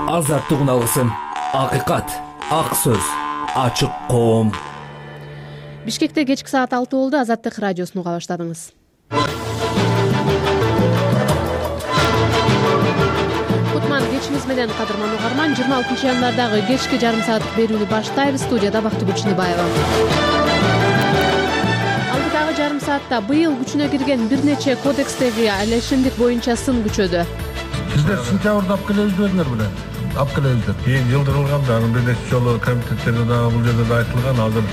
Азаттык алысын, акыйкат, ак сөз, ачык коом. Бишкекте кечки саат 6 болду. Азаттык радиосун уга баштадыңыз. Кутман кечиңиз менен кадырман угарман. 26 январдагы кечки жарым сааттык берүүнү баштайбыз. Студияда Бактыгүл Чыныбаева. Алдыдагы жарым саатта быйыл күчүнө кирген бир нече кодекстеги алешимдик боюнча сын күчөдү. Сиздер сентябрда алып келебиздер беле? Алып келебиздер. Кийин жылдырылган да, бир нече жолу комитеттерде дагы бул жерде да айтылган, азыр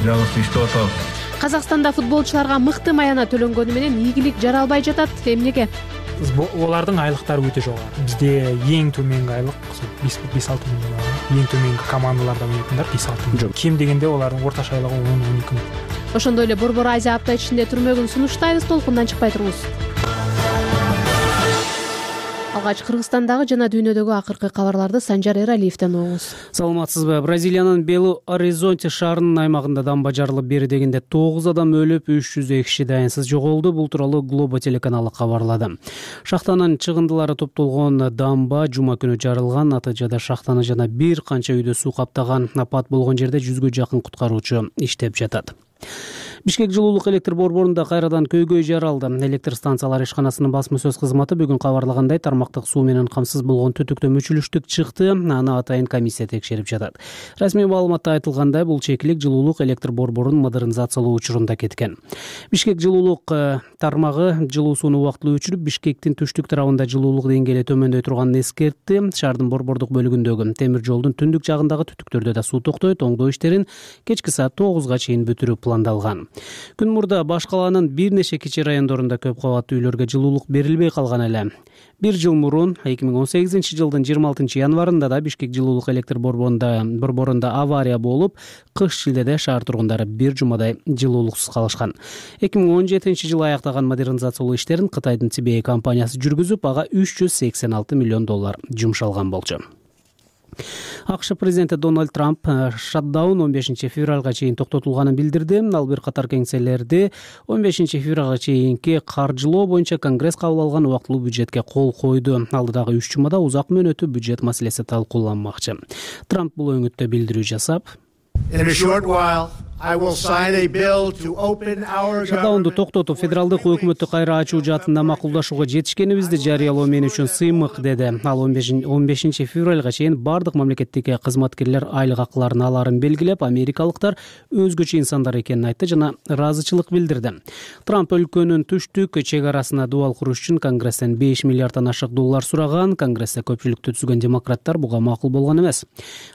жаңысы иштеп атабыз. Казакстанда футболчуларга мыкты маяна төлөнгөнү менен ийгилик жаралбай жатат. Эмнеге? Олардын айлыктары өтө жогору. Бизде эң төмөнкү айлык 5-6 миң. Эң төмөнкү командаларда ойнойдундар 5-6 миң. Кем дегенде олардын орточо айлыгы 10-12 миң. Ошондой эле Борбор Азия апта ичинде түрмөгүн сунуштайбыз. Толкундан чыкпай туруңуз. Алгач Кыргызстандагы жана дүйнөдөгү акыркы кабарларды Санжар Эралиевден угуңуз. Саламатсызбы? Бразилиянын Белу-Оризонте шаарынын аймагында дамба жарылып, бери дегенде 9 адам өлүп, 300 киши дайынсыз жоголду. Бул тууралуу Глобо телеканалы кабарлады. Шахтанын чыгындылары топтолгон дамба жума күнү жарылган. Натыйжада шахтаны жана бир канча үйдө суу каптаган. Апат болгон жерде 100гө жакын куткаруучу иштеп жатат. Бишкек жылуулук электр борборунда кайрадан көйгөй жаралды. Электр станциялар ишканасынын басма сөз кызматы бүгүн кабарлагандай, тармактык суу менен камсыз болгон түтүктө мүчүлүштүк чыкты. Аны атайын комиссия текшерип жатат. Расмий маалыматта айтылгандай, бул чекилик жылуулук электр борборунун модернизациялоо учурунда кеткен. Бишкек жылуулук тармагы жылуу сууну убактылуу өчүрүп, Бишкектин түштүк тарабында жылуулук деңгээли төмөндөй турганын эскертти. Шаардын борбордук бөлүгүндөгү темир жолдун түндүк жагындагы түтүктөрдө да суу токтойт. Оңдоо иштерин кечки саат 9га чейин бүтүрүү пландалган. Күн мурда баш калаанын бир нече кичи райондорунда көп кабаттуу үйлөргө жылуулук берилбей калган эле. Бир жыл мурун 2018 жылдын 26 январында да Бишкек жылуулук электр борборунда авария болуп, кыш шилдеде шаар тургундары бир жумадай жылуулуксуз калышкан. 2017 жылы аяктаган модернизациялоо иштерин Кытайдын CBA компаниясы жүргүзүп, ага $386 миллион жумшалган болчу. АКШ президенти Дональд Трамп шатдаун 15 февралга чейин токтотулганын билдирди. Ал бир катар кеңселерди 15 февралга чейинки каржылоо боюнча Конгресс кабыл алган убактылуу бюджетке кол койду. Алдыдагы 3 жумада узак мөөнөттүү бюджет маселеси талкууланмакчы. Трамп бул өңүттө билдирүү жасап, шатдаунду токтотуп, федералдык өкмөттү кайра ачуу жаатында макулдашууга жетишкенибизди жарыялоо мен үчүн сыймык, деди. Ал 15 февралга чейин бардык мамлекеттик кызматкерлер айлык акыларын аларын белгилеп, америкалыктар өзгөчө инсандар экенин айтты жана ыраазычылык билдирди. Трамп өлкөнүн түштүк чек арасына дубал куруш үчүн Конгресстен $5 миллиарддан ашык доллар сураган. Конгрессте көпчүлүктү түзгөн демократтар буга макул болгон эмес.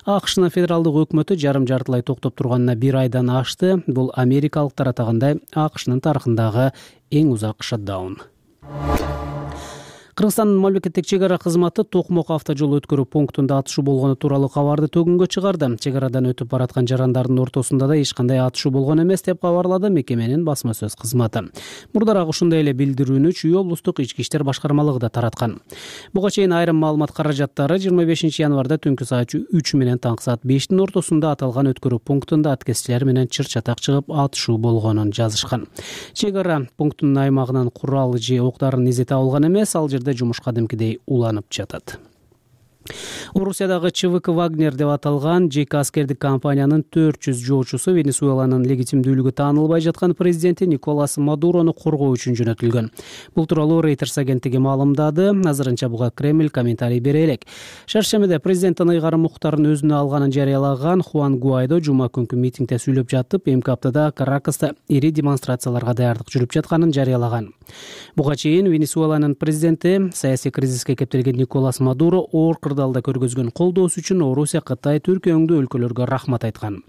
АКШнын федералдык өкмөтү жарым-жартылай токтоп турганына бир айдан ашты. Бул америкалыктар атагандай АКШнын тарыхындагы эң узак шатдаун. Кыргызстандын мамлекеттик чек ара кызматы Токмок автожол өткөрүү пунктунда атышуу болгону тууралуу кабарды төгүнгө чыгарды. Чек арадан өтүп бараткан жарандардын ортосунда да эч кандай атышуу болгон эмес деп кабарлады мекеменин басма сөз кызматы. Мурдараак ушундай эле билдирүүнү Чүй облустук ички иштер башкармалыгы да тараткан. Буга чейин айрым маалымат каражаттары 25 январда түнкү саат 3 менен таңкы саат 5 ортосунда аталган өткөрүү пунктунда аткезчилер менен чыр-чатак чыгып атышуу болгонун жазышкан. Чек ара пунктунун аймагынан курал же октарын изете алган эмес, ал жерде жумуш кадимкидей уланып жатат. Орусиядагы ЧВК Вагнер деп аталган жеке аскердик компаниянын 400 жоочусу Венесуэланын легитимдүүлүгү таанылбай жаткан президенти Николас Мадурону коргоо үчүн жөнөтүлгөн. Бул тууралуу Reuters агенттиги маалымдады. Азырынча буга Кремль комментарий бере элек. Шаршемеде президенттин ыйгарым уктарын өзүнө алганын жарыялаган Хуан Гуайдо жума күнкү митингде сүйлөп жатып, эмки аптада Каракаста ири демонстрацияларга даярдык жүрүп жатканын жарыялаган. Буга чейин Венесуэланын президенти саясий кризиске кептелген Николас Мадуро оор кырдаалда көргөзгөн колдоосу үчүн Орусия, Кытай, Түркия өңдүү өлкөлөргө рахмат айткан.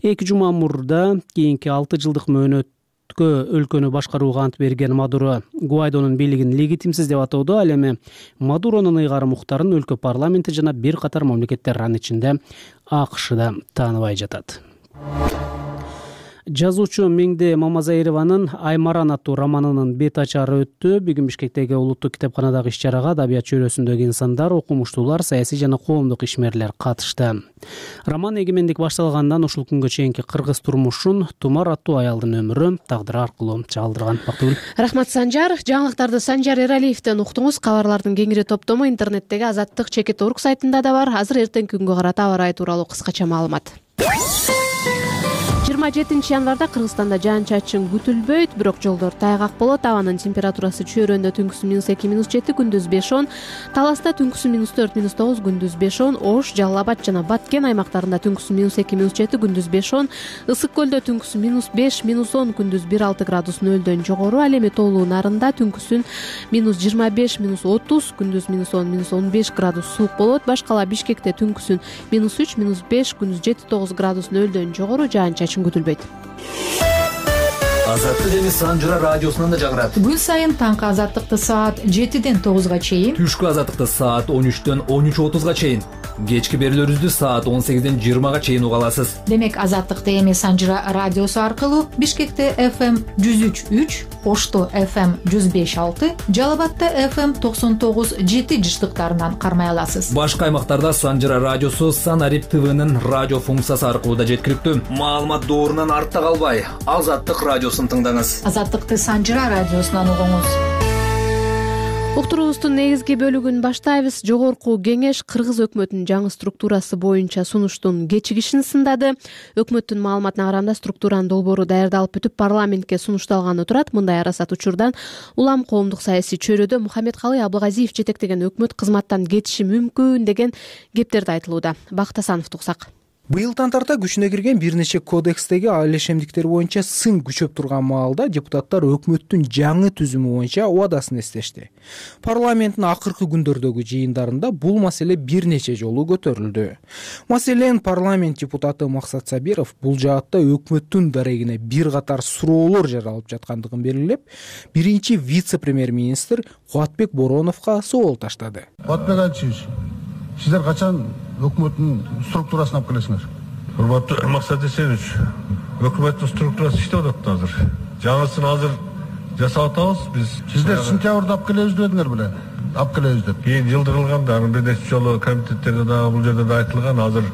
2 жума мурда кийинки 6 жылдык мөөнөткө өлкөнү башкарууга ант берген Мадуро Гуайдонун бийлигин легитимсиз деп атоодо. Ал эми Мадуронун ыйгарым уктарын өлкө парламенти жана бир катар мамлекеттер анын ичинде АКШ да тааныбай жатат. Жазуучу Меңде Мамазаированын Аймаран аттуу романынын бет ачары өттү. Бүгүн Бишкектеги улуттук китепканадагы иш-чарага адабият чөйрөсүндөгү инсандар, окумуштуулар, саясий жана коомдук ишмерлер катышты. Роман эгемендик башталгандан ушул күнгө чейинки кыргыз турмушун, Тумар аттуу аялдын өмүрү, тагдыры аркылуу чагылдырган. Бактыгүл. Рахмат, Санжар. Жаңылыктарды Санжар Эралиевден уктуңуз. Кабарлардын кеңири топтому интернеттеги Азаттык.org сайтында да бар. Азыр эртеңки күнгө карата аба ырайы тууралуу кыскача маалымат. 27 январда Кыргызстанда жаан-чачын күтүлбөйт, бирок жолдор тайгак болот. Абанын температурасы чөйрөндө түнкүсү -2, -7, күндүз 5-10, Таласта түнкүсү -4, -9, күндүз 5-10, Ош, Жалал Абад жана Баткен аймактарында түнкүсү -2, -7, күндүз 5-10, Ысык көлдө түнкүсү -5, -10, күндүз 1-6 градус нөлдөн жогору. Ал эми Тоолуу Нарында түнкүсүн -25, -30, күндүз -10, -15 градус суук болот. Башкала Бишкекте түнкүсүн -3, -5, күндүз 7-9 градус нөлдөн жогору, жаан-чачын күтүлбөйт. Азаттык эми Санжара радиосунан да жагырат. Күн сайын таңкы азаттыкты саат 7-ден 9-га чейин, Түшкү азаттыкты саат 13-төн 13:30-га чейин, кечки берүүлөрүбүздү саат 18-ден 20-га чейин уга аласыз. демек азаттыкты эми Санжара радиосу аркылуу Бишкекте FM 103.3, Ошто FM 105.6, Жалал Абадта FM 99.7 жыштыктарынан кармай аласыз. Башка аймактарда Санжара радиосу Санарип ТВнын радио функциясы аркылуу да жеткиликтүү. Маалымат доорунан артта калбай, Азаттык радиосун тыңдаңыз. Азаттыкты Санжара радиосунан угуңуз. Уктуруубуздун негизги бөлүгүн баштайбыз. Жогорку кеңеш Кыргыз өкмөтүнүн жаңы структурасы боюнча сунуштун кечигишин сындады. Өкмөттүн маалыматына караганда, структуранын долбоору даярдалып бүтүп, парламентке сунушталганы турат. Мындай арасат учурдан улам коомдук саясий чөйрөдө Мухаммедкалый Абылгазиев жетектеген өкмөт кызматтан кетиши мүмкүн деген кептерди айтылууда. Бакыт Асановду уксак. Быйылдан тарта күчүнө кирген бир нече кодекстеги алешемдиктер боюнча сын күчөп турган маалда депутаттар өкмөттүн жаңы түзүмү боюнча убадасын эстешти. Парламенттин акыркы күндөрдөгү жыйындарында бул маселе бир нече жолу көтөрүлдү. Маселен, парламент депутаты Максат Сабиров бул жаатта өкмөттүн дарегине бир катар суроолор жаралып жаткандыгын белгилеп, биринчи вице-премьер-министр Кубатбек Бороновго соол таштады. Кубатбек Алиевич, сиздер качан өкмөттүн структурасын алып келесиңер? Урматтуу Максат Эсенович, өкмөттүн структурасы иштеп атат азыр. Жаңысын азыр жасап атабыз биз. Сиздер сентябрда алып келебиз дедиңер беле? Алып келебиз деп. Кийин жылдырылганда, анын бир нече жолу комитеттерде дагы бул жерде да айтылган, азыр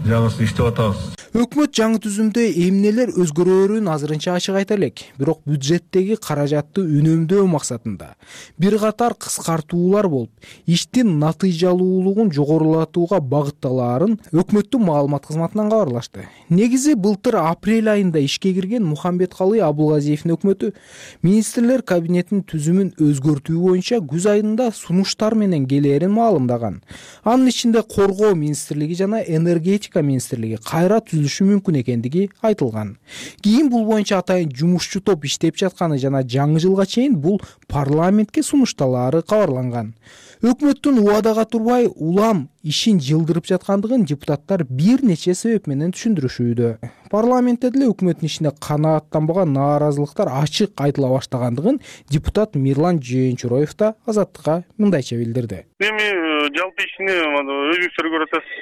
жаңысын иштеп атабыз. Өкмөт жаңы түзүмдө эмнелер өзгөрөөрүн азырынча ачык айта элек. Бирок бюджеттеги каражатты үнөмдөө максатында бир катар кыскартуулар болуп, иштин натыйжалуулугун жогорулатууга багытталаарын өкмөттүн маалымат кызматынан кабарлашты. Негизи былтыр апрель айында ишке кирген Мухаммедкалый Абылгазиевдин өкмөтү министрлер кабинетинин түзүмүн өзгөртүү боюнча күз айында сунуштар менен келээрин маалымдаган. Анын ичинде Коргоо министрлиги жана Энергетика министрлиги кайра түзүлүшү мүмкүн экендиги айтылган. Кийин бул боюнча атайын жумушчу топ иштеп жатканы жана жаңы жылга чейин бул парламентке сунушталаары кабарланган. Өкмөттүн убадага турбай улам ишин жылдырып жаткандыгын депутаттар бир нече себеп менен түшүндүрүшүүдө. Парламентте деле өкмөттүн ишине канааттанбаган нааразылыктар ачык айтыла баштагандыгын депутат Мирлан Жээнчуроев да Азаттыкка мындайча билдирди. Эми жалпы ишине өзүңүздөр көрүп атасыз,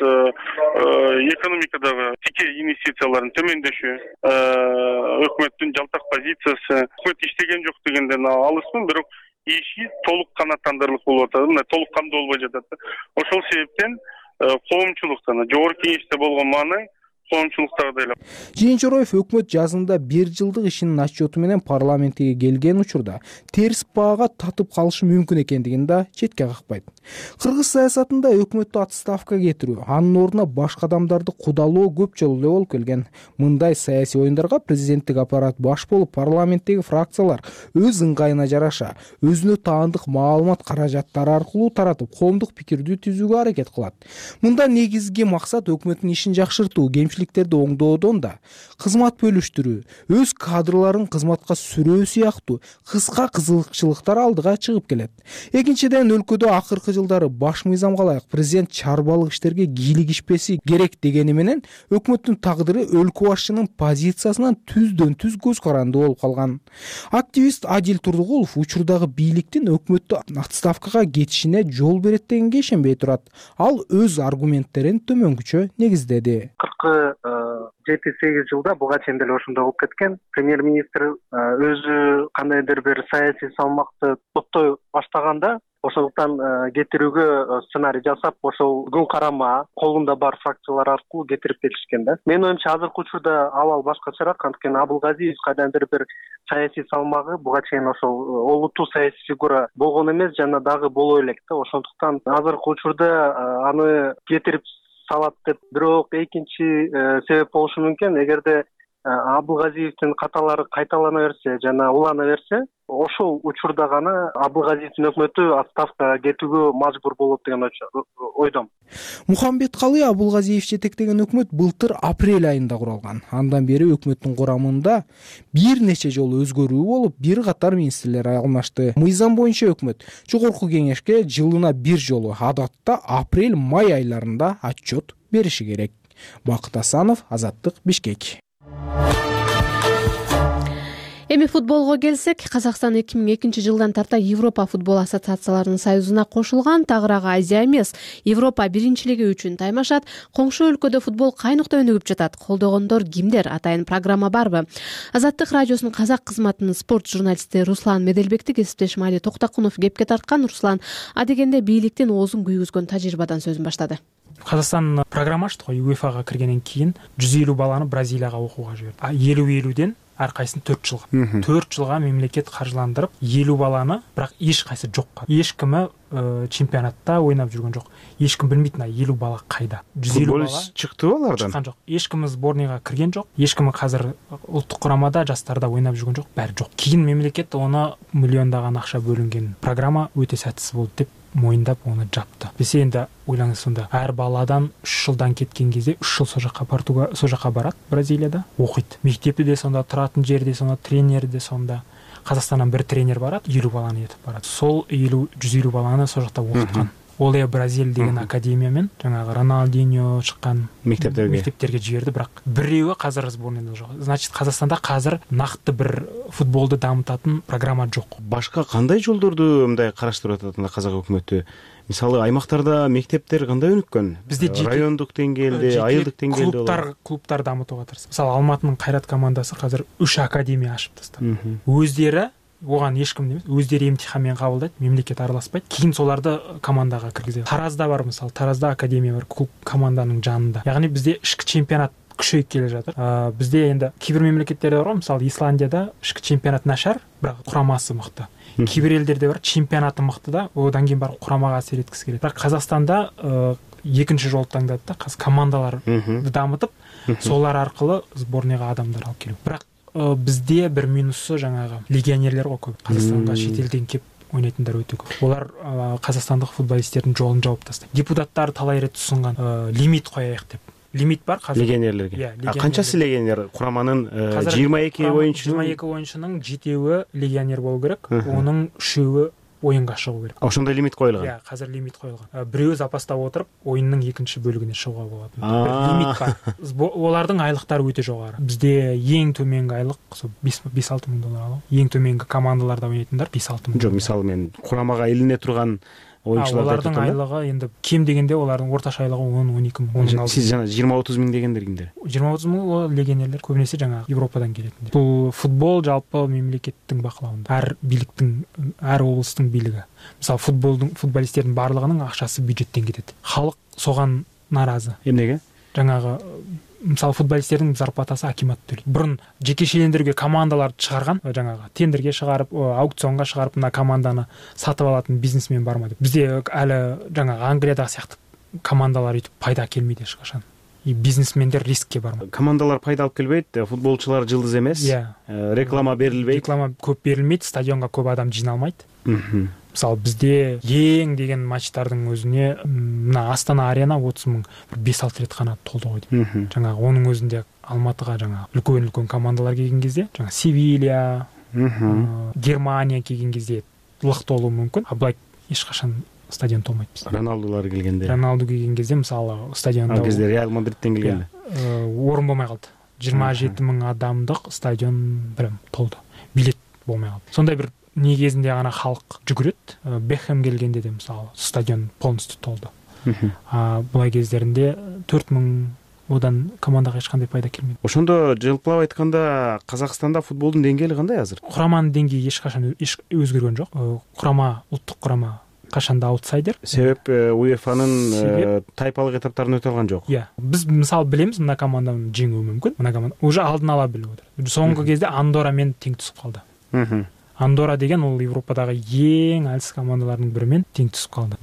экономикадагы тике инвестициялардын төмөндөшү, өкмөттүн жалтак позициясы, өкмөт иштеген жок дегенден алысмын, бирок иши толук канааттандырылып болуп атат, мына толук камдуу болбой жатат. Ошол себептен коомчулуктан жогорку кеңеште болгон мааны коомчулуктагы. Жээнчуроев өкмөт жазында 1 жылдык ишинин отчету менен парламентке келген учурда терс баага татып калышы мүмкүн экендигин да четке какпайт. Кыргыз саясатында өкмөттү отставкага кетирүү, анын ордуна башка адамдарды кудалоо көп жолу эле болуп келген. Мындай саясий оюндарга президенттик аппарат баш болуп, парламенттеги фракциялар өз ыңгайына жараша өзүнө таандык маалымат каражаттары аркылуу таратып, коомдук пикирди түзүүгө аракет кылат. Мында негизги максат өкмөттүн ишин жакшыртуу, кемчиликтерди оңдоодон да кызмат бөлүштүрүү, өз кадрларын кызматка сүрөө сыяктуу кыска кызыкчылыктар алдыга чыгып келет. Экинчиден, өлкөдө акыркы жылдары баш мыйзамга ылайык президент чарбалык иштерге кийлигишпеси керек дегени менен өкмөттүн тагдыры өлкө башчынын позициясынан түздөн түз көз каранды болуп калган. Активист Адил Турдугулов учурдагы бийликтин өкмөттү отставкага кетишине жол берет дегенге ишенбей турат. Ал өз аргументтерин төмөнгүчө негиздеди. 7-8 жылда буга чейин деле ошондой болуп кеткен. Премьер-министр өзү кандайдыр бир саясий салмакты топтой баштаганда ошондуктан кетирүүгө сценарий жасап, ошол күн карама колунда бар фракциялар аркылуу кетирип келишкен да. Менин оюмча азыркы учурда абал башкачараак, анткени Абылгазиев кайдандыр бир саясий салмагы буга чейин ошол олуттуу саясий фигура болгон эмес жана дагы боло элек да. Ошондуктан азыркы учурда аны кетирип салат деп. Бирок экинчи себеп болушу мүмкүн, эгерде Абылгазиевдин каталары кайталана берсе жана улана берсе, ошол учурда гана Абылгазиевдин өкмөтү отставкага кетүүгө мажбур болот деген ойдомун. Мухамбеткалый Абылгазиев жетектеген өкмөт былтыр апрель айында куралган. Андан бери өкмөттүн курамында бир нече жолу өзгөрүү болуп, бир катар министрлер алмашты. Мыйзам боюнча өкмөт жогорку кеңешке жылына бир жолу, адатта апрель-май айларында отчет бериши керек. Бакыт Асанов, Азаттык, Бишкек. Эми футболго келсек, Казакстан 2002 жылдан тарта Европа футбол ассоциацияларынын союзуна кошулган. Тагыраагы Азия эмес, Европа биринчилиги үчүн таймашат. Коңшу өлкөдө футбол кайныкта өнүгүп жатат. Колдогондор кимдер? Атайын программа барбы? Азаттык радиосунун казак кызматынын спорт журналисти Руслан Меделбекти кесиптешим Али Токтакунов кепке тарткан. Руслан, адегенде бийликтин оозун күйгүзгөн тажрыйбадан сөзүн баштады. Казакстан программа аштык го, УЕФАга киргенден кийин 150 баланы Бразилияга окууга жиберди. 50-50ден ар кайсын 4 жылга. 4 жылга мемлекет каржыландырып, 50 баланы, бирок эч кайсы жок. Эч кими чемпионатта ойнап жүргөн жок. Эч ким билбейт, 50 бала кайда. 150 бала чыктыбы алардан? Чыккан жок. Эч ким сборныйга кирген жок. Эч ким азыр улуттук курамада, жастарда ойнап жүргөн жок. Баары жок. Кийин мемлекет оны миллиондаган акча бөлүнгөн программа өтө сәтсиз болду деп моюндап оны жапты. Биз энди ойлаңыз, сонда ар баладан 3 жылдан кеткен кезде 3 жыл сол жака барат, Бразилияда окуйт. Мектепте де сонда, туратын жерде сонда, тренер де сонда. Казакстандан бир тренер барат, 50 баланы этип барат. Сол 150 баланы сол жакта окуткан. Оле Бразил деген академия менен жаңагы Роналдиньо чыккан мектептерге жиберди, бирок бирөө азыр сборныйда жок. Значит, Казакстанда азыр накты бир футболду дамытатын программа жок. Башка кандай жолдорду мындай караштырып атат казак өкмөтү? Мисалы аймактарда мектептер кандай өнүккөн? Бизде райондук деңгээлде, айылдык деңгээлде клубтар дамытууга тырышты. Мисалы Алматынын Кайрат командасы азыр 3 академия ачып тастады. Өздөрү оган эч ким эмес, өздөрү имтихан менен кабылдайт, мемлекет араласпайт. Кийин соларды командага киргизет. Таразда бар, мисалы, Таразда академия бар, клуб команданын жанында. Ягни бизде ички чемпионат күчөйүп келе жатыр. Бизде энди кийбир мемлекеттерде бар, мисалы Исландияда ички чемпионат начар, бирок курамасы мыкты. Кийбир элдерде бар, чемпионаты мыкты да, одан кийин барып курамага асер эткиси келет. Бирок Казакстанда экинчи жолду таңдады да, командаларды дамытып, солар аркылы сборныйга адамдар алып келүү. Бирок бизде бир минусу жаңагы легионерлер го көп. Казакстанга чет элден кеп ойнайтындар өтө көп. Олар казакстандык футболисттердин жолун жаап тастайт. Депутаттар талай рет сунган лимит коеюк деп. Лимит бар казыр легионерлерге. Канчасы легионер? Кураманын 22 оюнчунун 7-өө легионер болуу керек, онун 3-өө оюнга чыгуу керек. Ошондой лимит коюлган. Азыр лимит коюлган. Бирөө запаста отуруп, оюндун экинчи бөлүгүнө чыгууга болот. Лимит бар. Олардын айлыктары өтө жогору. Бизде эң төмөнкү айлык 5-6 миң доллар алат. Эң төмөнкү командаларда ойнайтындар 5-6 миң. Жок, мисалы мен курамага илине турган оюнчуларды олардын айлыгы энди кем дегенде олардын орточо айлыгы 10-12 миң. Сиз жана 20-30 миң дегендер кимдер? 20-30 миң легионерлер көбүнесе жаңа Европадан келетиндер. Бул футбол жалпы мемлекеттин бакылауында. Ар бийликтин, ар облустун бийлиги. Мисалы футболисттердин баардыгынын акчасы бюджеттен кетет. Халык соган нааразы. Эмнеге? Жаңагы мисалы футболисттердин зарплатасы акимат төлөйт. Бурун жекешелендирүүгө командалар чыгарган, жаңагы тендерге чыгарып, аукционга чыгарып, мына команданы сатып алатын бизнесмен барма деп. Бизде али жаңагы Англиядагы сыяктуу командалар өтүп пайда келмейт эч качан. И бизнесмендер рискке бармайт. Командалар пайда алып келбейт, футболчулар жылдыз эмес. Реклама берилбейт. Реклама көп берилмейт, стадионго көп адам жиналмайт. Мисалы бизде эң деген матчтардын өзүнө мына Астана арена 30 миң 5-6 рет гана толду койду. Жаңа онун өзүндө Алматыга жаңа үлкөн командалар келген кезде, жаңа Севилья, Германия келген кезде лык толуу мүмкүн. А былай эч качан стадион толмойт бизде. Роналдулар келгенде. Роналду келген кезде мисалы стадиондо. Ал кезде Реал Мадридтен келгенде. Орун болмой калды. 27 миң адамдык стадион прям толду. Билет болмой калды. Сондай бир негизинде гана халык жүгүрөт. Бехем келгенде де мисалы стадион полностью толду. Булай кездеринде 4 миң одан командага эч кандай пайда келмейт. Ошондо жалпылап айтканда Казакстанда футболдун деңгээли кандай азыр? Кураманын деңгээи эч качан өзгөргөн жок. Курама, улуттук курама качанда аутсайдер. Себеп УЕФАнын тайпалык этаптарын өтө алган жок. Биз мисалы билебиз, мына команданы жеңүү мүмкүн. Мына команда уже алдын ала билип отур. Соңку кезде Андора менен тең түсүп калды. Андора деген ол Европадагы эң алыс командалардын бири менен тең түсүп калды.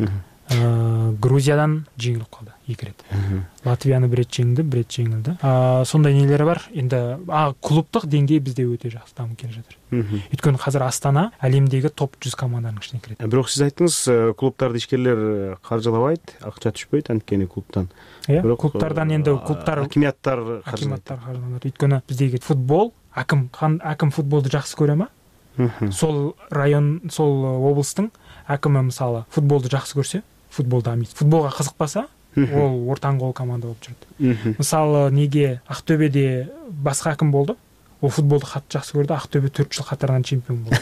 Грузиядан жеңилип калды 2 рет. Латвияны 1 рет жеңди, 1 рет жеңилди. Сондай нелери бар. Энди клубдук деңгэй бизде өтө жакшы дамып келе жатыр. Өйткөнү азыр Астана әлемдеги топ 100 команданын ичине кирет. Бирок сиз айттыңыз, клубдарды ишкерлер каржылабайт, акча түшпөйт анткени клубтан. Бирок клубтардан энди клубтар, акиматтар каржылайт. Өйткөнү биздеги футбол, аким футболду жакшы көрө ма? Сол район, сол облустун акимы мисалы футболду жакшы көрсө, футболго кызыкпаса, ол ортаңгол команда болуп жүрөт. Мисалы неге Актөбөдө башка аким болду, ол футболду катты жакшы көрдү, Актөбө 4 жыл катарынан чемпион болду.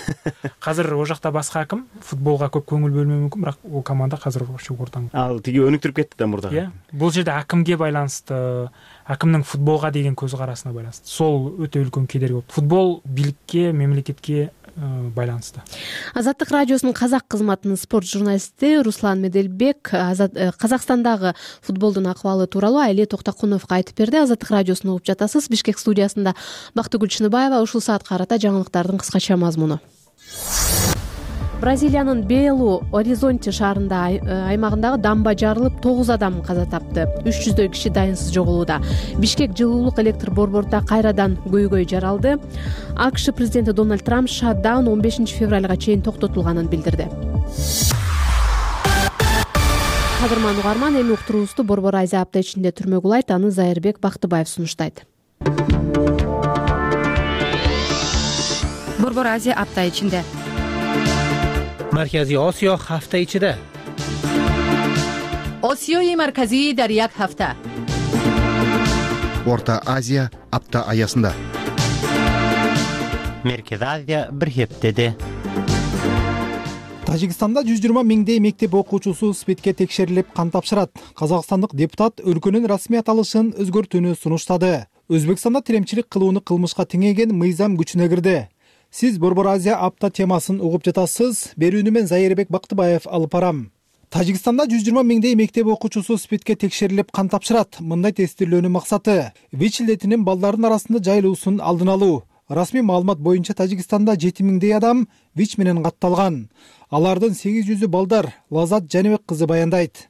Азыр о жакта башка аким футболго көп көңүл бөлмөй мүмкүн, бирок ол команда азыр ошо ортаңгол. Ал тиги өнүктүрүп кетти да мурдага. Бул жерде акимге байланыштуу, акимдин футболго деген көз карасына байланыштуу. Сол өтө үлкөн кедерги болуп. Футбол бийликке, мамлекетке байланыштуу. Азаттык радиосунун казак кызматынын спорт журналисти Руслан Меделбек Казакстандагы футболдун акыбалы тууралуу Айли Токтокуновго айтып берди. Азаттык радиосун угуп жатасыз. Бишкек студиясында Бактыгүл Чыныбаева. Ушул саатка карата жаңылыктардын кыскача мазмуну. Бразилиянын Белу-Оризонти шаарында аймагындагы дамба жарылып 9 адам каза тапты. 300дөй киши дайынсыз жоголууда. Бишкек жылуулук электр борборунда кайрадан көйгөй жаралды. АКШ президенти Дональд Трамп шатдаун 15 февралга чейин токтотулганын билдирди. Кадырман угарман, эми уктуруубузду Борбор Азия апта ичинде түрмөк улайт, аны Зайырбек Бактыбаев сунуштайт. Борбор Азия апта ичинде. Маркази Осиё ҳафта ичида. Осиёи марказӣ дар як ҳафта. Орта Азия апта аясында. Меркез Азия бир хептеде. Тажикстанда 120 миңдей мектеп окуучусу СПИДке текшерилип кан тапшырат. Казакстандык депутат өлкөнүн расмий аталышын өзгөртүүнү сунуштады. Өзбекстанда тиремчилик кылууну кылмышка теңеген мыйзам күчүнө кирди. Сиз Борбор Азия апта темасын угуп жатасыз. Берүүнү мен Зайырбек Бактыбаев алып барам. Тажикстанда 120 миңдей мектеп окуучусу СПИДке текшерилип кан тапшырат. Мындай тестирлөөнүн максаты ВИЧ илдетинин балдардын арасында жайылуусун алдын алуу. Расмий маалымат боюнча Тажикстанда 7 миңдей адам ВИЧ менен катталган. Алардын 800 балдар, Лазат Жаныбек кызы баяндайт.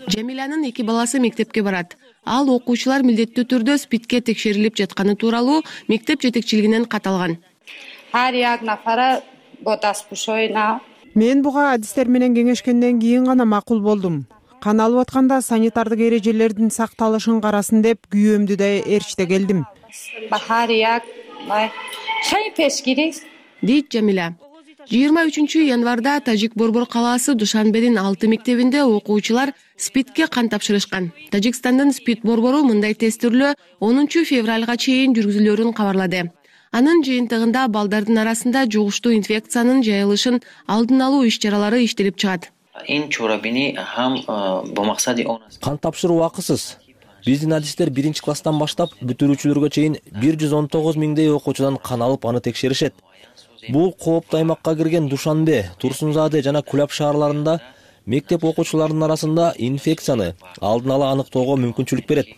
Жамиланын 2 баласы мектепке барат. Ал окуучулар милдеттүү түрдө СПИДке текшерилип жатканы тууралуу мектеп жетекчилигинен кат алган. Мен буга адистер менен кеңешкенден кийин гана макул болдум. Кан алып атканда санитардык эрежелердин сакталышын карасын деп күйөөмдү да ээрчите келдим. Дейт Жамила. 23 январда Тажик Борбор калаасы Душанбенин 6 мектебинде окуучулар СПИДке кан тапшырышкан. Тажикстандын СПИД борбору мындай тестирлөө 10 февралга чейин жүргүзүлөрүн кабарлады. Анын жыйынтыгында балдардын арасында жугуштуу инфекциянын жайылышын алдын алуу иш-чаралары иштелип чыгат. Кан тапшыруу акысыз. Биздин адистер 1-класстан баштап бүтүрүүчүлөргө чейин 119 миңдей окуучудан кан алып аны текшеришет. Бул кооптуу аймакка кирген Душанбе, Турсунзаде жана Кулап шаарларында мектеп окуучуларынын арасында инфекцияны алдын ала аныктоого мүмкүнчүлүк берет.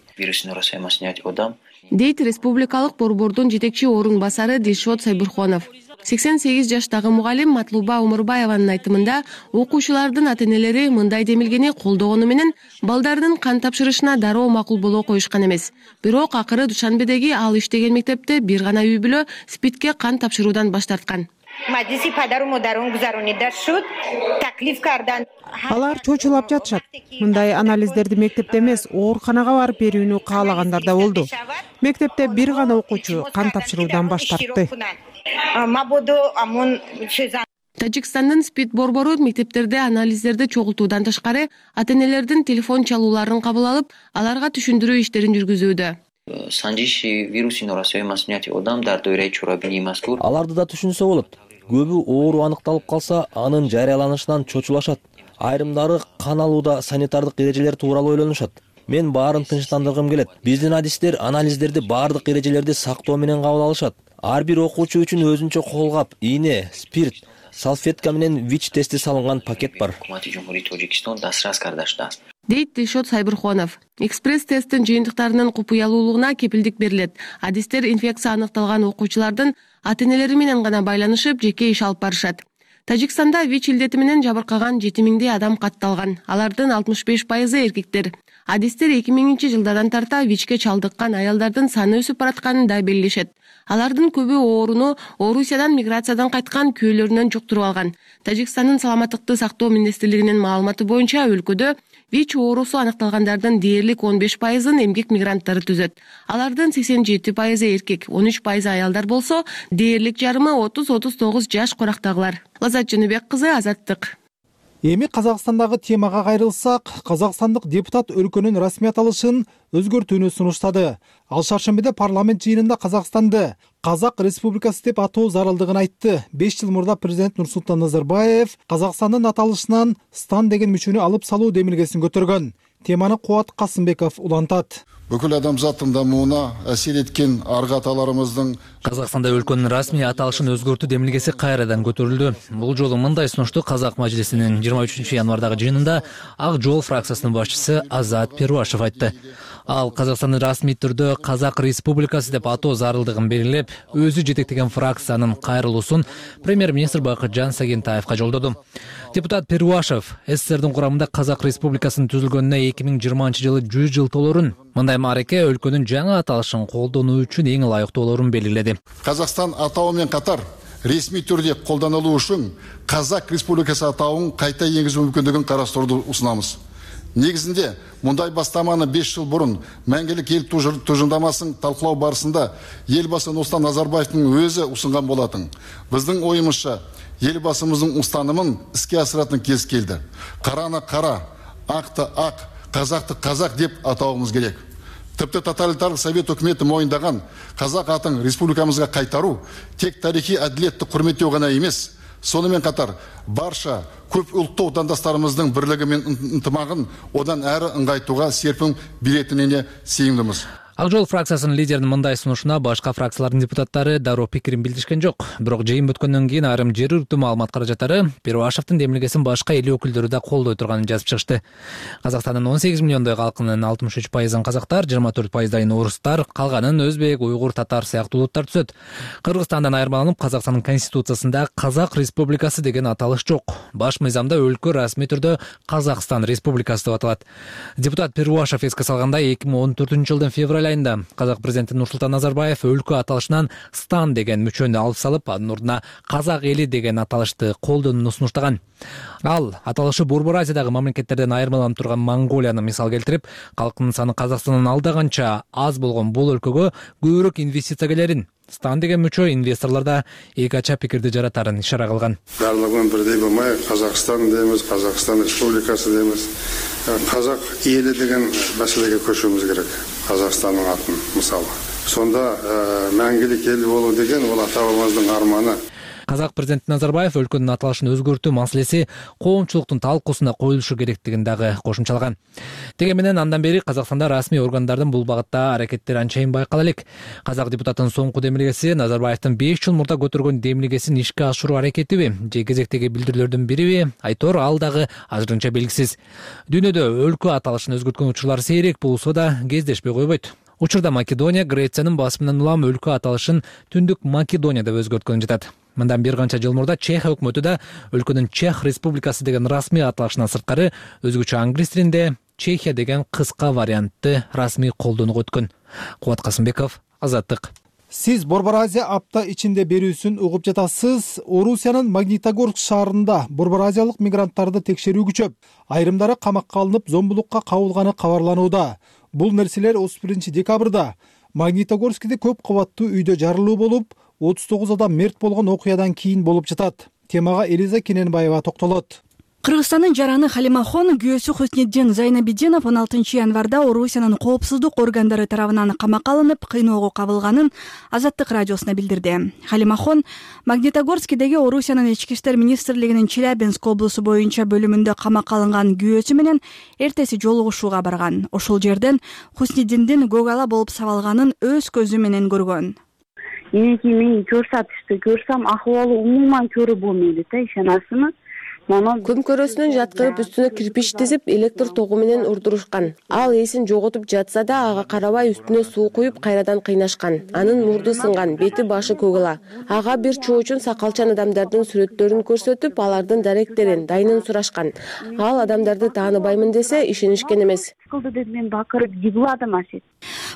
Дейт республикалык борбордун жетекчи орун басары Дилшот Сайбурхонов. 88 жаштагы мугалим Матлуба Умурбаеванын айтымында окуучулардын ата-энелери мындай демилгени колдогону менен балдардын кан тапшырышына дароо макул боло коюшкан эмес. Бирок акыры Душанбедеги ал иштеген мектепте бир гана үй бүлө СПИДке кан тапшыруудан баш тарткан. Алар чочулап жатышат. Мындай анализдерди мектепте эмес, ооруканага барып берүүнү каалагандар да болду. Мектепте бир гана окуучу кан тапшыруудан баш тартты. Тажикстандын СПИД борбору мектептерде анализдерди чогултуудан тышкары ата-энелердин телефон чалууларын кабыл алып, аларга түшүндүрүү иштерин жүргүзүүдө. Аларды да түшүнсө болот. Көбү оору аныкталып калса, анын жарыяланышынан чочулашат. Айрымдары кан алууда санитардык эрежелер тууралуу ойлонушат. Мен баарын тынчтандыргым келет. Биздин адистер анализдерди баардык эрежелерди сактоо менен кабыл алышат. Ар бир окуучу үчүн өзүнчө колгап, ийне, спирт, салфетка менен ВИЧ тести салынган пакет бар. Дейт Дилшот Сайбырхонов. Экспресс-тесттин жыйынтыктарынын купуялуулугуна кепилдик берилет. Адистер инфекция аныкталган окуучулардын ата-энелери менен гана байланышып, жеке иш алып барышат. Тажикстанда ВИЧ илдети менен жабыркаган 7000 адам катталган. Алардын 65% эркектер. Адистер 2000-жылдардан тарта ВИЧке чалдыккан аялдардын саны өсүп баратканын да белгилешет. Алардын көбү ооруну Орусиядан миграциядан кайткан күйөөлөрүнөн жуктуруп алган. Тажикстандын саламаттыкты сактоо министрлигинин маалыматы боюнча өлкөдө ВИЧ оорусу аныкталгандардын дээрлик 15%-ын эмгек мигранттары түзөт. Алардын 87% эркек, 13% аялдар болсо, дээрлик жарымы 30-39 жаш корактагылар. Лазат Жөнөбек кызы, Азаттык. Эми Казакстандагы темага кайрылсак, казакстандык депутат өлкөнүн расмий аталышын өзгөртүүнү сунуштады. Ал шаршембиде парламент жыйынында Казакстанды Казак Республикасы деп атоо зарылдыгын айтты. 5 жыл мурда президент Нурсултан Назарбаев Казакстандын аталышынан стан деген мүчөнү алып салуу демилгесин көтөргөн. Теманы Кубат Касымбеков улантат. Бүкүл адамзаттын дамууна әсер эткен аргы аталарыбыздын Казакстанда өлкөнүн расмий аталышын өзгөртүү демилгеси кайрадан көтөрүлдү. Бул жолу мындай сунушту Казак мажлисинин 23 январдагы жыйынында Ак жол фракциясынын башчысы Азат Перуашев айтты. Ал Казакстандын расмий түрдө Казак Республикасы деп атоо зарылдыгын белгилеп, өзү жетектеген фракциянын кайрылуусун премьер-министр Бакытжан Сагентаевка жолдоду. Депутат Перуашев СССРдин курамында Казак Республикасынын түзүлгөнүнө 2020 жылы 100 жыл толорун, мындай маареке өлкөнүн жаңы аталышын колдонуу үчүн эң ылайыктуулорун белгиледи. Казакстан атауы менен катар ресми түрдө колдонулуу үчүн Казак Республикасы атауын кайта энгизүү мүмкүндүгүн карастырууну усунабыз. Негизинде мындай бастаманы 5 жыл бурун Мәңгилик эл тужундамасын талкуулоо барысында элбасы Нурсултан Назарбаевдин өзү усунган болатын. Биздин оюмузча элбасыбыздын устанымын иске асыратын кез келди. Караны кара, акты ак, казакты казак деп атауымыз керек. Тіпті тоталитарлық совет өкіметі мойындаған қазақ атын республикамызға қайтару тек тарихи әділетті құрметтеу ғана емес, сонымен қатар барша көп ұлтты отандастарымыздың бірлігі мен ынтымағын одан әрі ыңғайтуға серпін беретініне сенімдіміз. Ак жол фракциясынын лидеринин мындай сунушуна башка фракциялардын депутаттары дароо пикирин билдиришкен жок. Бирок жыйын бүткөндөн кийин айрым жергиликтүү маалымат каражаттары Перуашевдин демилгесин башка эл өкүлдөрү да колдой турганын жазып чыгышты. Казакстандын 18 миллиондой калкынын 63%-ын казактар, 24%-дайын орустар, калганын өзбек, уйгур, татар сыяктуу улуттар түзөт. Кыргызстандан айырмаланып, Казакстандын конституциясында Казак Республикасы деген аталыш жок. Баш мыйзамда өлкө расмий түрдө Казакстан Республикасы деп аталат. Депутат Перуашев эске салгандай 2014-жылдын февраль айында Казак президенти Нурсултан Назарбаев өлкө аталышынан стан деген мүчөнү алып салып, анын ордуна Казак эли деген аталышты колдонууну сунуштаган. Ал аталышы Борбор Азиядагы мамлекеттерден айырмаланып турган Монголияны мисал келтирип, калкынын саны Казакстандан алдаганча аз болгон бул өлкөгө көбүрөөк инвестиция келерин, стан деген мүчө инвесторлордо эки ача пикирди жаратарын ишара кылган. Барлыгын бирдей болмай, Казакстан дейбиз, Казакстан Республикасы дейбиз. Казак эли деген маселеге көчүүбүз керек. Казакстандын атын мисалы. Сонда мәңгилик эл болуу деген ол ата-бабамыздын арманы. Казак президенти Назарбаев өлкөнүн аталышын өзгөртүү маселеси коомчулуктун талкуусуна коюлушу керектигин дагы кошумчалаган. Деги менен андан бери Казакстанда расмий органдардын бул багытта аракеттери анчайын байкала элек. Казак депутатынын соңку демилгеси Назарбаевдин 5 жыл мурда көтөргөн демилгесин ишке ашыруу аракетиби же кезектеги билдирүүлөрдүн бириби, айтор ал дагы азырынча белгисиз. Дүйнөдө өлкө аталышын өзгөрткөн учурлар сейрек болсо да кездешпей койбойт. Учурда Македония Грециянын басымынан улам өлкө аталышын Түндүк Македония деп өзгөрткөн жатат. Мындан бир канча жыл мурда Чехия өкмөтү да өлкөнүн Чех Республикасы деген расмий аталышынан сырткары өзгөчө англис тилинде Чехия деген кыска вариантты расмий колдонууга өткөн. Кубат Касымбеков, Азаттык. Сиз Борбор Азия апта ичинде берүүсүн угуп жатасыз. Орусиянын Магнитогорск шаарында Борбор Азиялык мигранттарды текшерүү күчөп, айрымдары камакка алынып, зомбулукка кабылганы кабарланууда. Бул нерселер 31 декабрда Магнитогорскиде көп кабаттуу үйдө жарылуу болуп, 39 адам мерт болгон окуядан кийин болуп жатат. Темага Элиза Кененбаева токтолот. Кыргызстандын жараны Халимахон күйөөсү Хусниддин Зайнабиддинов 16 январда Орусиянын коопсуздук органдары тарабынан камакка алынып, кыйноого кабылганын Азаттык радиосуна билдирди. Халимахон Магнитогорскидеги Орусиянын ички иштер министрлигинин Челябинск облусу боюнча бөлүмүндө камакка алынган күйөөсү менен эртеси жолугушууга барган. Ошол жерден Хусниддиндин көк ала болуп сабалганын өз көзү менен көргөн. Энеки мени көрсөтүштү. Көрсөм акыбалы умуман көрүү болмойт да, ишенасызбы? Күн көрөсүнөн жаткырып үстүнө кирпич тизип, электр тогу менен урдурушкан. Ал эсин жоготуп жатса да, ага карабай үстүнө суу куюп кайрадан кыйнашкан. Анын мурду сынган, бети башы көгала. Ага бир чоочун сакалчан адамдардын сүрөттөрүн көрсөтүп, алардын даректерин, дайынын сурашкан. Ал адамдарды тааныбаймын десе, ишенишкен эмес. Мен бакырып жыгладым асет.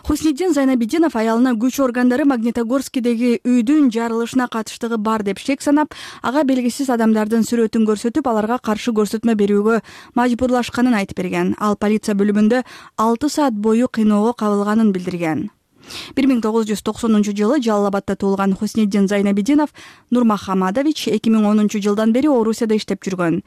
Хусниддин Зайнабиддинов аялына күч органдары Магнитогорскидеги үйдүн жарылышына катыштыгы бар деп шек санап, ага белгисиз адамдардын сүрөтүн көрсөтүп, аларга каршы көрсөтмө берүүгө мажбурлашканын айтып берген. Ал полиция бөлүмүндө 6 саат бою кыйноого кабылганын билдирген. 1990 жылы Жалал Абадда туулган Хусниддин Зайнабиддинов Нурмахамадович 2010 жылдан бери Орусияда иштеп жүргөн.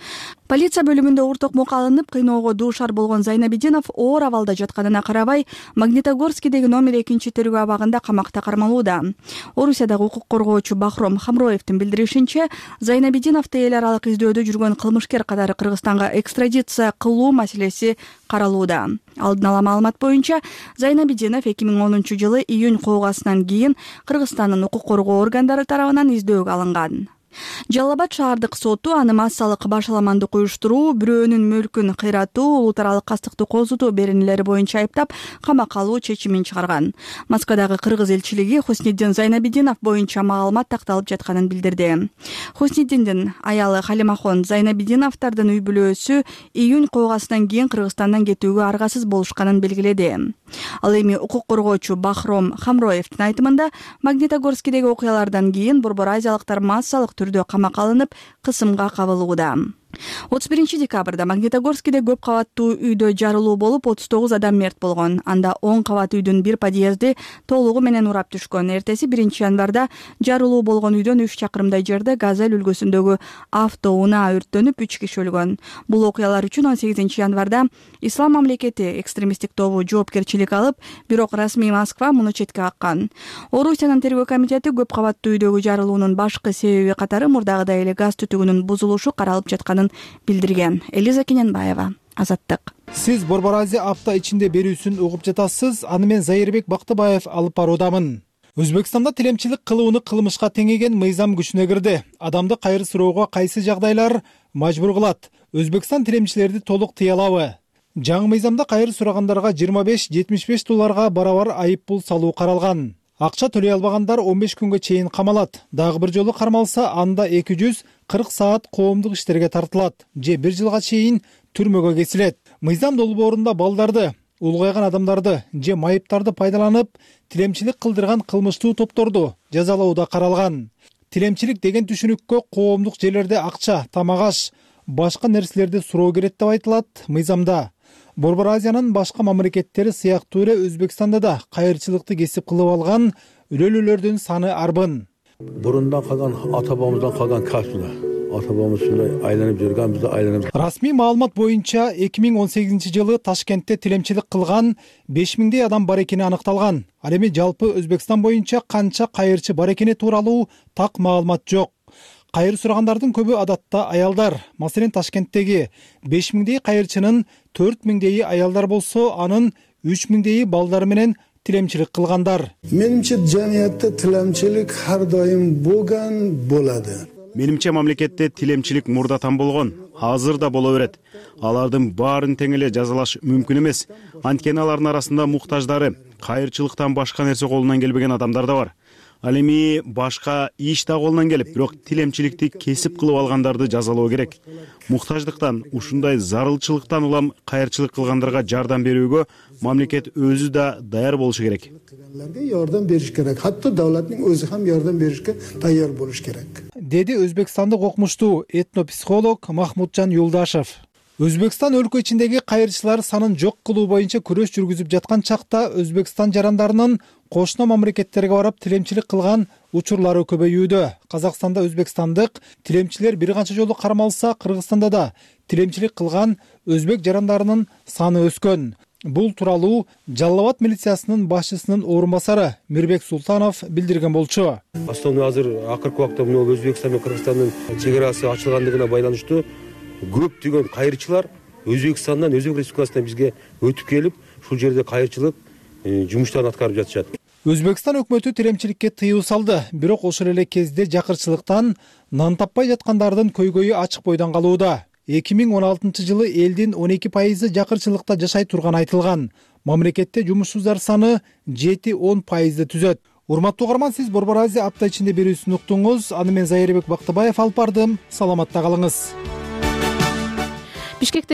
Полиция бөлүмүндө ортокмок алынып, кыйноого дуушар болгон Зайнабиддинов оор абалда жатканына карабай, Магнитогорскидеги номер 2 тергөө абагында камакта кармалууда. Орусиядагы укук коргоочу Бахром Хамроевдин билдиришинче, Зайнабиддиновду эл аралык издөөдө жүргөн кылмышкер катары Кыргызстанга экстрадиция кылуу маселеси каралууда. Алдын ала маалымат боюнча, Зайнабиддинов 2010 жылы июнь куугасынан кийин Кыргызстандын укук коргоо органдары тарабынан издөөгө алынган. Жалал Абад шаардык соту аны массалык башаламандык уюштуруу, бирөөнүн мүлкүн кыйратуу, улут аралык кастыкты козутуу беренелери боюнча айыптап, камакка алуу чечимин чыгарган. Москвадагы кыргыз элчилиги Хусниддин Зайнабиддинов боюнча маалымат такталып жатканын билдирди. Хусниддиндин аялы Халимахон Зайнабиддиновдордун үй бүлөсү июнь куугасынан кийин Кыргызстандан кетүүгө аргасыз болушканын белгиледи. Ал эми укук коргоочу Бахром Хамроевдин айтымында, Магнитогорскидеги окуялардан кийин Борбор азиялыктар массалык түрдө камакка алынып, кысымга кабылууда. 31 декабрда Магнитогорскиде көп кабаттуу үйдө жарылуу болуп, 39 адам мерт болгон. Анда 10 кабат үйдүн бир подъезди толугу менен урап түшкөн. Эртеси 1 январда жарылуу болгон үйдөн 3 чакырымдай жерде Газель үлгүсүндөгү автоунаа өрттөнүп, 3 киши өлгөн. Бул окуялар үчүн 18 январда Ислам мамлекети экстремисттик тобу жоопкерчилик алып, бирок расмий Москва муну четке каккан. Орусиянын тергөө комитети көп кабаттуу үйдөгү жарылуунун башкы себеби катары мурдагыдай эле газ түтүгүнүн бузулушу каралып жатканын билдирген. Элиза Кененбаева, Азаттык. Сиз Борбор Азия апта ичинде берүүсүн угуп жатасыз. Аны мен Зайырбек Бактыбаев алып баруудамын. Өзбекстанда тилемчилик кылууну кылмышка теңеген мыйзам күчүнө кирди. Адамды кайыр суроого кайсы жагдайлар мажбур кылат? Өзбекстан тилемчилерди толук тыя алабы? Жаңы мыйзамда кайыр сурагандарга 25-75 долларга барабар айып пул салуу каралган. Акча төлөй албагандар 15 күнгө чейин камалат. Дагы бир жолу кармалса, анда 240 саат коомдук иштерге тартылат же 1 жылга чейин түрмөгө кесилет. Мыйзам долбоорунда балдарды, улгайган адамдарды же майыптарды пайдаланып, тилемчилик кылдырган кылмыштуу топторду жазалоодо каралган. Тилемчилик деген түшүнүккө коомдук жерлерде акча, тамак-аш, башка нерселерди суроо керек деп айтылат мыйзамда. Борбор Азиянын башка мамлекеттери сыяктуу эле Өзбекстанда да кайырчылыкты кесип кылып алган өлөлүүлөрдүн саны арбын. Бурундан калган ата бабамыздан калган касбы. Ата бабамыз ушундай айланып жүргөн, биз айланып. Расмий маалымат боюнча 2018 жылы Ташкентте тилемчилик кылган 5000дей адам бар экени аныкталган. Ал эми жалпы Өзбекстан боюнча канча кайырчы бар экени тууралуу так маалымат жок. Кайыр сурагандардын көбү адатта аялдар. Маселен, Ташкенттеги 5000дей кайырчынын 4000дейи аялдар болсо, анын 3000дейи балдар менен тилемчилик кылгандар. Менимче жамиятта тилемчилик ар дайым болгон болот. Менимче мамлекетте тилемчилик мурдатан болгон, азыр да боло берет. Алардын баарын тең эле жазалаш мүмкүн эмес. Анткени алардын арасында муктаждары, кайырчылыктан башка нерсе колунан келбеген адамдар да бар. Ал эми башка иш да колунан келип, бирок тилемчиликти кесип кылып алгандарды жазалоо керек. Муктаждыктан, ушундай зарылчылыктан улам кайырчылык кылгандарга жардам берүүгө мамлекет өзү да даяр болушу керек. Жардам бериш керек. Хатта давлаттын өзү ham жардам беришке даяр болуш керек. Деди өзбекстандык окумуштуу этнопсихолог Махмутжан Юлдашев. Өзбекстан өлкө ичиндеги кайырчылар санын жок кылуу боюнча күрөш жүргүзүп жаткан чакта Өзбекстан жарандарынын кошуна мамлекеттерге барып тилемчилик кылган учурлары көбөйүүдө. Казакстанда өзбекстандык тилемчилер бир канча жолу кармалса, Кыргызстанда да тилемчилик кылган өзбек жарандарынын саны өскөн. Бул тууралуу Жалал Абад милициясынын башчысынын орун басары Мирбек Султанов билдирген болчу. Основной азыр акыркы убакта Өзбекстан менен Кыргызстандын чек арасы ачылгандыгына байланыштуу көптөгөн кайырчылар Өзбекстандан, Өзбек Республикасынан бизге өтүп келип, ушул жерде кайырчылык жумуштарын аткарып жатышат. Өзбекстан өкмөтү тилемчиликке тыюу салды, бирок ошол эле кезде жакырчылыктан нан таппай жаткандардын көйгөйү ачык бойдон калууда. 2016 элдин 12% жакырчылыкта жашай турганы айтылган. Мамлекетте жумушсуздар саны 7-10% түзөт. Урматтуу угарман, сиз Борбор Азия апта ичинде берүүсүн уктуңуз. Аны мен Зайырбек Бактыбаев алып бардым. Саламатта калыңыз. Бишкекте